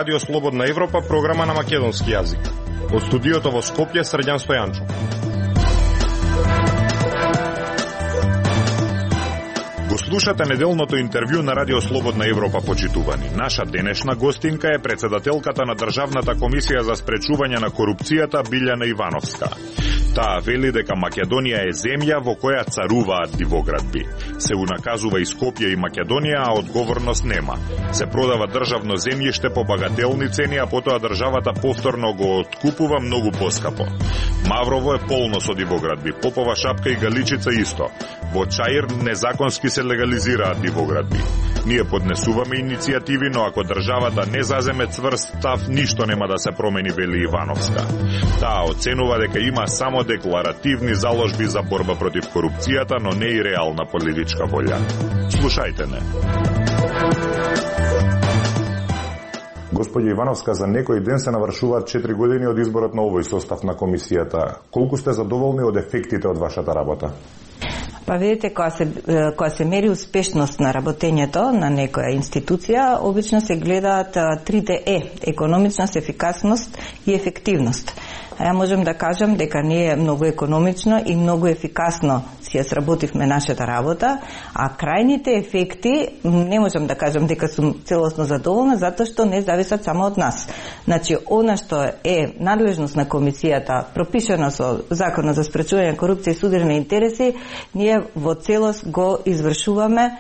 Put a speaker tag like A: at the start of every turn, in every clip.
A: Радио Слободна Европа, програма на македонски јазик. Од студиото во Скопје, Срđan Стојанчо. Го слушате неделното интервју на Радио Слободна Европа, почитувани. Наша денешна гостинка е председателката на Државната комисија за спречување на корупцијата Билјана Ивановска. Таа вели дека Македонија е земја во која царуваат дивоградби. Се унаказува и Скопје и Македонија, а одговорност нема. Се продава државно земјиште по багателни цени, а потоа државата повторно го откупува многу поскапо. Маврово е полно со дивоградби, Попова Шапка и Галичица исто. Во Чаир незаконски се легализираат дивоградби. Ние поднесуваме иницијативи, но ако државата не заземе цврст став, ништо нема да се промени, вели Ивановска. Таа оценува дека има само декларативни заложби за борба против корупцијата, но не и реална политичка волја. Слушајте не.
B: Господја Ивановска, за некој ден се навршуваат 4 години од изборот на овој состав на комисијата. Колку сте задоволни од ефектите од вашата работа?
C: Па видите, кога се мери успешност на работењето на некоја институција, обично се гледаат трите економичност, ефикасност и ефективност. Ја можем да кажам дека ние многу економично и многу ефикасно си ја сработивме нашата работа, а крајните ефекти не можем да кажам дека сум целосно задоволна, затоа што не зависат само од нас. Значи, она што е надлежност на комисијата, пропишано со Законот за спречување на корупција и судирни интереси, ние во целост го извршуваме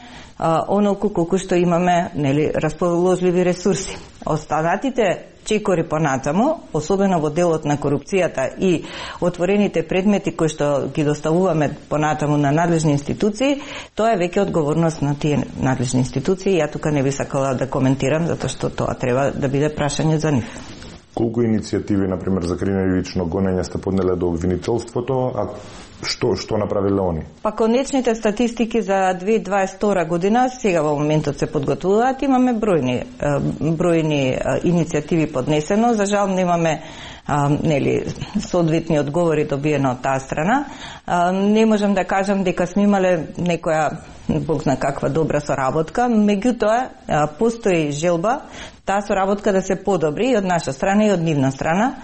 C: онолку колку што имаме, нели, расположливи ресурси. Останатите чекори понатаму, особено во делот на корупцијата и отворените предмети кои што ги доставуваме понатаму на надлежни институции, тоа е веќе одговорност на тие надлежни институции. Ја тука не би сакала да коментирам, затоа што тоа треба да биде прашање за нив.
B: Колку иницијативи, например, за криминалично гонење сте поднеле до обвинителството, а што направиле они? Па
C: конечните статистики за 2022 година сега во моментот се подготвуваат. Имаме бројни иницијативи поднесено. За жал немаме соодветни одговори добиено од таа страна. Не можам да кажам дека сме имале некоја Бог зна каква добра соработка, меѓутоа постои желба таа соработка да се подобри и од наша страна и од нивна страна.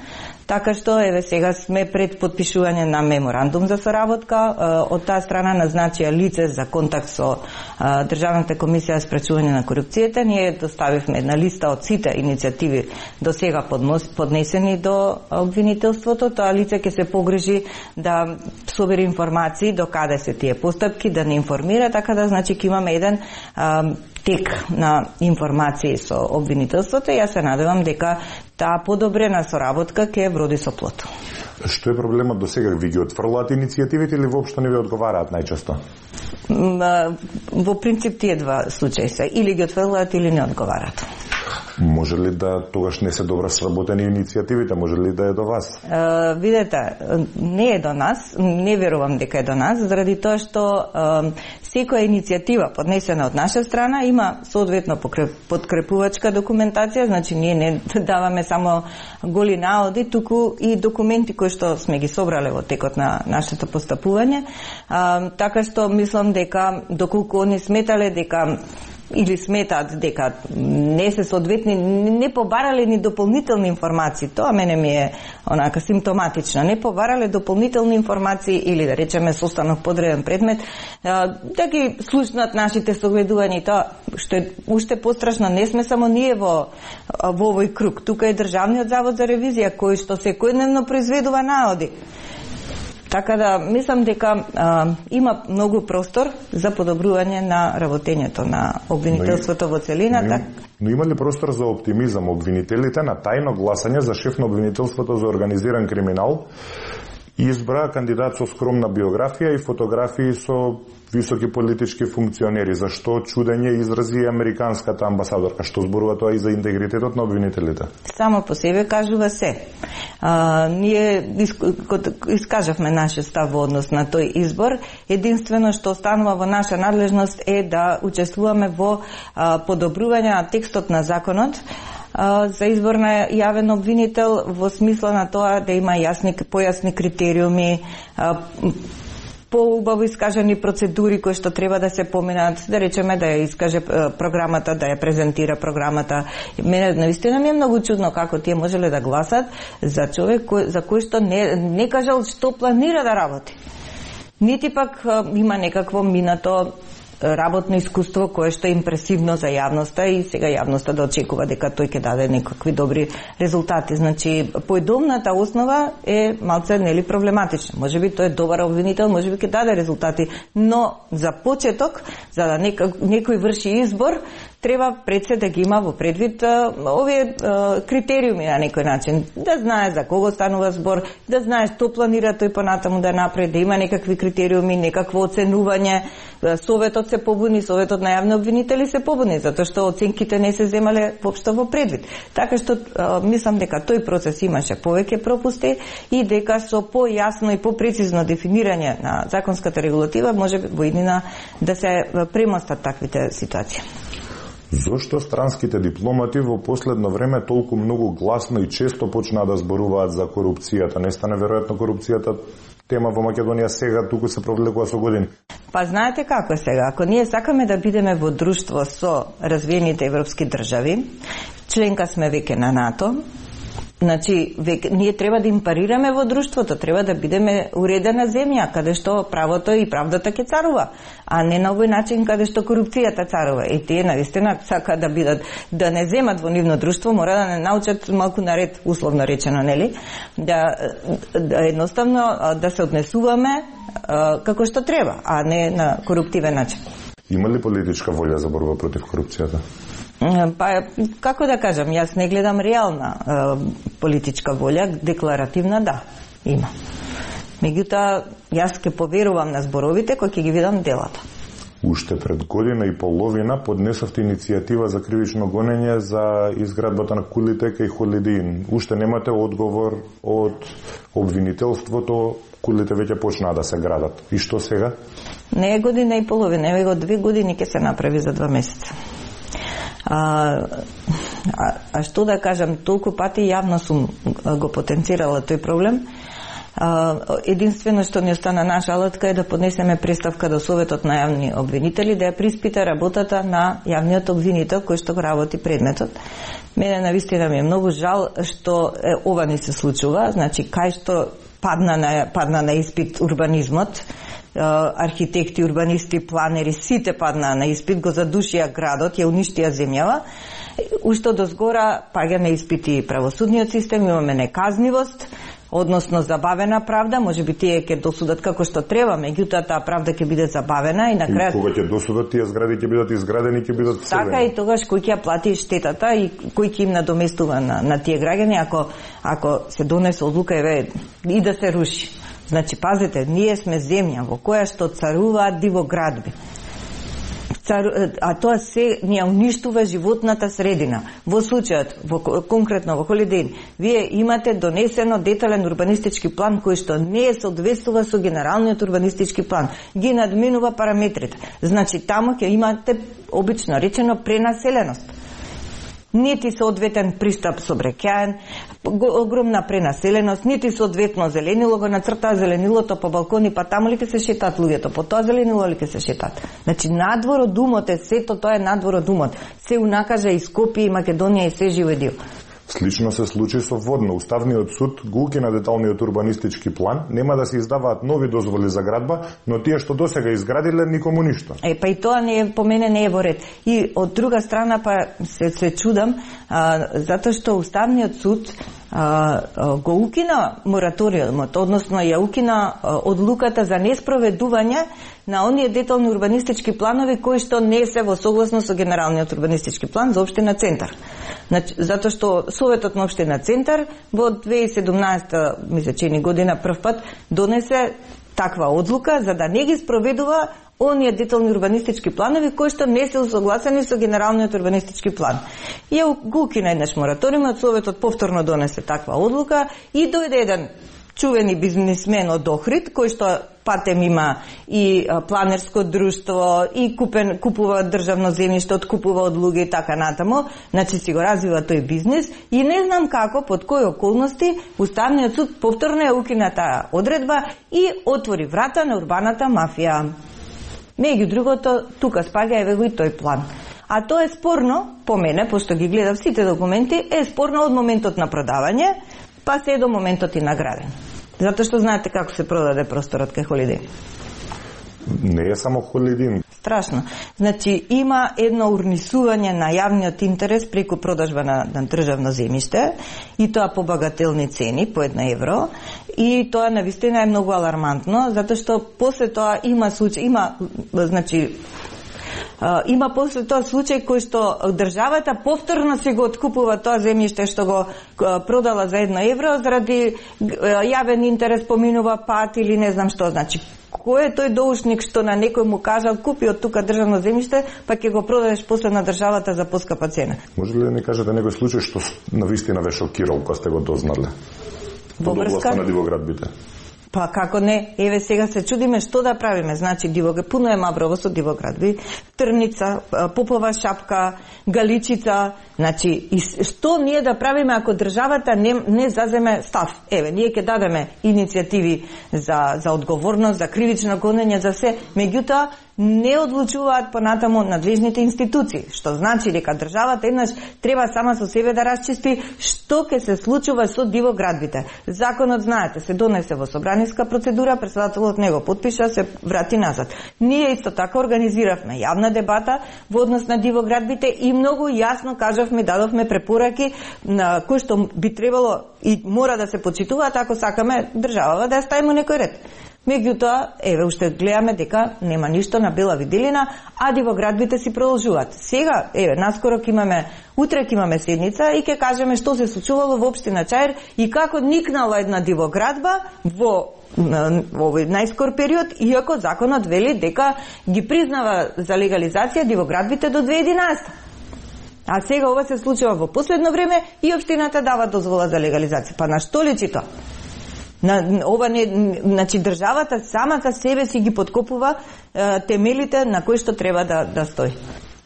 C: Така што еве сега сме пред подпишување на меморандум за соработка. Од таа страна назначија лице за контакт со Државната комисија за спречување на корупцијата. Ние доставивме една листа од сите иницијативи до сега поднесени до обвинителството. Тоа лице ќе се погрижи да собери информации до каде се тие постапки, да не информира, така да значи ќе имаме еден тек на информации со обвинителството и јас се надевам дека таа подобрена соработка ќе вроди со плод.
B: Што е проблемот до сега? Ви ги отфрлаат иницијативите или воопшто не ви одговараат најчесто?
C: Во принцип тие два случаи се. Или ги отфрлаат или не одговараат.
B: Може ли да тогаш не се добро сработени иницијативите? Може ли да е до вас?
C: Видете, не е до нас, не верувам дека е до нас, заради тоа што секоја иницијатива поднесена од наша страна има соодветно подкрепувачка документација, значи ние не даваме само голи наоди, туку и документи кои што сме ги собрале во текот на нашето постапување. Така што мислам дека доколку они сметале дека или сметаат дека не се соодветни, не побарале ни дополнителни информации. Тоа мене ми е онака симптоматично. Не побарале дополнителни информации или да речеме состанок подреден предмет, да ги слушнат нашите согледувања. И тоа што е уште пострашно, не сме само ние во овој круг. Тука е Државниот завод за ревизија кој што секојдневно произведува наоди. Така да, мислам дека има многу простор за подобрување на работењето на обвинителството во целина.
B: Но има ли простор за оптимизам? Обвинителите на тајно гласање за шеф на обвинителството за организиран криминал избра кандидат со скромна биографија и фотографии со високи политички функционери. Зашто чудење изрази американската амбасадорка? Што зборува тоа и за интегритетот на обвинителите?
C: Само по себе кажува се. Ние искажавме нашиот став во однос на тој избор. Единствено што останува во наша надлежност е да учествуваме во подобрување на текстот на законот за избор на јавен обвинител, во смисла на тоа да има појасни критериуми, поубаво искажани процедури кои што треба да се поминат, да речеме да ја искаже програмата, да ја презентира програмата. Мене навистина ми е многу чудно како тие можеле да гласат за човек за кој што не кажал што планира да работи. Нити пак има некакво минато работно искуство кое што е импресивно за јавноста и сега јавноста да очекува дека тој ќе даде некакви добри резултати. Значи, поедомната основа е малце нели проблематична. Можеби тој е добар обвинител, можеби ќе даде резултати, но за почеток, за да некој врши избор, треба пред се да ги има во предвид овие критериуми на некој начин. Да знае за кого станува збор, да знае што планира тој понатаму да направи, да има некакви критериуми, некакво оценување. Советот се побуни, Советот на јавни обвинители се побуни, затоа што оценките не се земале воопшто во предвид. Така што мислам дека тој процес имаше повеќе пропусти и дека со појасно и попрецизно дефинирање на законската регулатива може во иднина да се премостат таквите ситуации.
B: Зошто странските дипломати во последно време толку многу гласно и често почнаа да зборуваат за корупцијата? Не стане веројатно корупцијата тема во Македонија сега, туку се провлекува со години?
C: Па знаете како е сега, ако ние сакаме да бидеме во друштво со развиените европски држави, членка сме веќе на НАТО, значи, ние треба да им парираме во друштвото, треба да бидеме уредена земја, каде што правото и правдата ќе царува, а не на овој начин каде што корупцијата царува. И тие навистина сака да бидат, да не земат во нивно друштво, мора да не научат малку наред, условно речено, нели? Да едноставно да се однесуваме како што треба, а не на коруптивен начин.
B: Има ли политичка волја за борба против корупцијата?
C: Па, како да кажам, јас не гледам реална политичка волја, декларативна да, има. Меѓутоа, јас ќе поверувам на зборовите кои ќе ги видам делата.
B: Уште пред година и половина поднесовте иницијатива за кривично гонење за изградбата на кулите и Холидин. Уште немате одговор од обвинителството, кулите веќе почнаа да се градат. И што сега?
C: Не е година и половина, еве го 2 години ќе се направи за 2 месеца. А што да кажам, толку пати јавно сум го потенцирала тој проблем. Единствено што ни остана наша алатка е да поднесеме представка до Советот на јавни обвинители, да ја приспита работата на јавниот обвинител кој што го работи предметот. Мене навистина ми е многу жал што ова не се случува, значи кај што падна на испит урбанизмот, архитекти, урбанисти, планери, сите паднаа на испит, го задушија градот, ја уништија земјава. Уште до згора паѓа на испити правосудниот систем, имаме неказнивост, односно забавена правда, можеби тие ќе досудат како што треба, меѓутоа таа правда ќе биде забавена и на крај.
B: И кога ќе досудат, тие згради ќе бидат изградени, ќе бидат вселени.
C: Така и тогаш кој ќе плати штетата и кој ќе им надоместува на тие граѓани ако се донесе одлука и да се руши. Значи, пазете, ние сме земја во која што царуваат дивоградби. А тоа се ни уништува животната средина. Во случајот, конкретно во Холидин, вие имате донесено детален урбанистички план кој што не соодветствува со генералниот урбанистички план. Ги надминува параметрите. Значи, таму ќе имате, обично речено, пренаселеност. Нити соодветен пристап сообраќаен, огромна пренаселеност, нити соодветно зеленило, го нацртаа зеленилото по балкони, па таму ли ќе се шетаат луѓето, по тоа зеленило ли ќе се шетаат. Значи, надвор од умот е сето, тоа е надвор од умот. Се унакажа и Скопје, и Македонија, и се живе дел.
B: Слично се случи со Водно. Уставниот суд го укина деталниот урбанистички план, нема да се издаваат нови дозволи за градба, но тие што досега изградиле никому ништо.
C: Па и тоа не е, по мене не е во ред. И од друга страна па се чудам, затоа што Уставниот суд го укина мораториумот, односно ја укина одлуката за неспроведување на оние детални урбанистички планови кои што не се во согласност со генералниот урбанистички план за општина Центар. Значи, затоа што Советот на општина Центар во 2017 мислечени година прв пат донесе таква одлука за да не ги спроведува оние детални урбанистички планови кои што не се усогласени со генералниот урбанистички план. Ја го укина еднаш мораториумот, Советот повторно донесе таква одлука и дојде еден чувени бизнисмен од Охрид, кој што патем има и планерско друштво, и купува државно земјиште, откупува од луѓе и така натаму, значи си го развива тој бизнис и не знам како, под кои околности, Уставниот суд повторно ја укина таа одредба и отвори врата на урбаната мафија. Меѓу другото, тука спаѓа еве го и тој план. А тоа е спорно, по мене, пошто ги гледав сите документи, е спорно од моментот на продавање, па се до моментот и на градење. Затоа што знаете како се продаде просторот кај Холидин.
B: Не е само Холидин.
C: Страшно. Значи, има едно урнисување на јавниот интерес преку продажба на државно земјиште и тоа по багателни цени, по 1 евро, и тоа навистина е многу алармантно, затоа што после тоа има случај, има после тоа случај кој што државата повторно се го откупува тоа земјиште што го продала за 1 евро заради јавен интерес, поминува пат или не знам што. Значи, кој е тој доушник што на некој му кажал купи од тука државно земјиште, па ќе го продадеш после на државата за поскапа цена?
B: Може ли да ни кажете некој случај што навистина ве шокирал кога сте го дознале?
C: Во врска
B: на дивоградбите.
C: Па како не, еве сега се чудиме што да правиме. Значи пуно е Маврово со дивоградби, Трница, Попова шапка, Галичица. Значи и што ние да правиме ако државата не заземе став? Еве, ние ќе дадеме иницијативи за одговорност, за кривично гонење, за се. Меѓутоа не одлучуваат понатаму надлежните институции, што значи дека државата еднаш треба сама со себе да расчисти што ќе се случува со дивоградбите. Законот, знаете, се донесе во собраниска процедура, претседателот него подпиша, се врати назад. Ние исто така организиравме јавна дебата во однос на дивоградбите и многу јасно кажавме, дадовме препораки на кои што би требало и мора да се почитуваат ако сакаме државава да ја ставиме некој ред. Меѓутоа, еве, уште гледаме дека нема ништо на бела виделина, а дивоградбите си продолжуваат. Сега, еве, наскоро утре ќе имаме седница и ќе кажеме што се случувало во општина Чаир и како никнала една дивоградба во овој најскор период, иако законот вели дека ги признава за легализација дивоградбите до 2011. А сега ова се случува во последно време и општината дава дозвола за легализација. Па на што личи тоа? Ова не, значи државата самата себе си ги подкопува темелите на кои што треба да стои.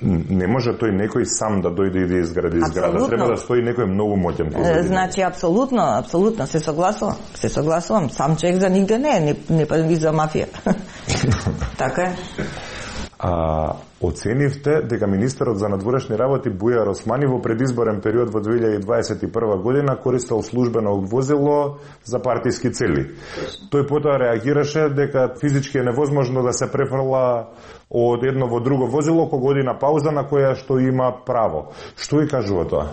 B: Не може тој некој сам да дојде и да изгради зграда. Треба да стои некој многу моќен позади.
C: Значи апсолутно се согласувам. Сам човек за нигде не па и за мафија. Така е.
B: Оценивте дека министерот за надворешни работи Бујар Османи во предизборен период во 2021 година користел службено возило за партиски цели. Тој потоа реагираше дека физички е невозможно да се префрла од едно во друго возило кога година пауза на која што има право. Што и кажува тоа?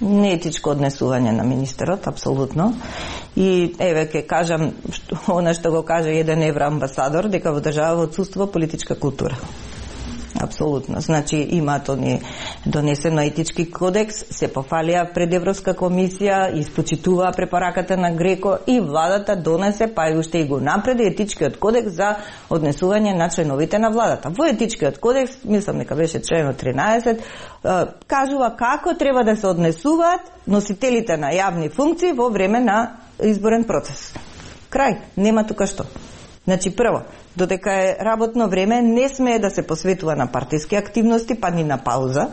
C: Неетичко однесување на министерот, апсолутно. И еве ќе кажам она што го каже еден евроамбасадор, дека во држава отсуствува политичка култура. Апсолутно. Значи имаат они донесено етички кодекс, се пофалија пред Европска комисија, испочитуваа препораката на Греко и владата донесе, па и уште и го напреди етичкиот кодекс за однесување на членовите на владата. Во етичкиот кодекс, мислам дека беше членот 13, кажува како треба да се однесуваат носителите на јавни функции во време на изборен процес. Крај, нема тука што. Значи прво, додека е работно време, не смее да се посветува на партиски активности, па ни на пауза.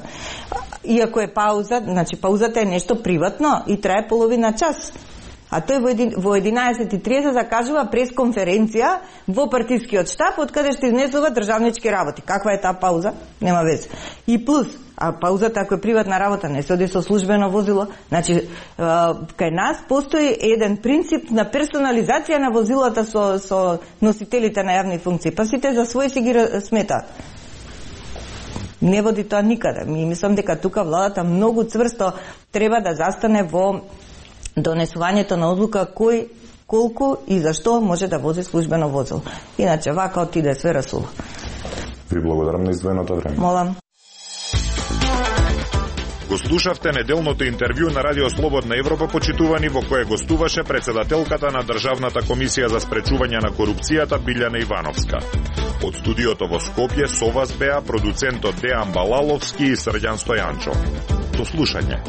C: Иако е пауза, значи паузата е нешто приватно и трае половина час. А тој во 11:30 закажува пресконференција во партискиот штаб, од каде што изнесува државнички работи. Каква е таа пауза? Нема веќе. И плюс, а паузата ако е приватна работа, не се оди со службено возило. Значи, кај нас постои еден принцип на персонализација на возилата со носителите на јавни функции. Па сите за свој си ги сметаат. Не води тоа никаде. Ми мислам дека тука владата многу цврсто треба да застане во донесувањето на одлука кој, колку и зашто може да вози службено возило. Иначе вака отиде све расуло.
B: Ви благодарам на издвоеното време.
C: Молам.
A: Го слушавте неделното интервју на Радио Слободна Европа, почитувани, во кое гостуваше председателката на Државната комисија за спречување на корупцијата Билјана Ивановска. Од студиото во Скопје со вас беа продуцентот Дејан Балаловски и Срđan Стојанчо. До слушање.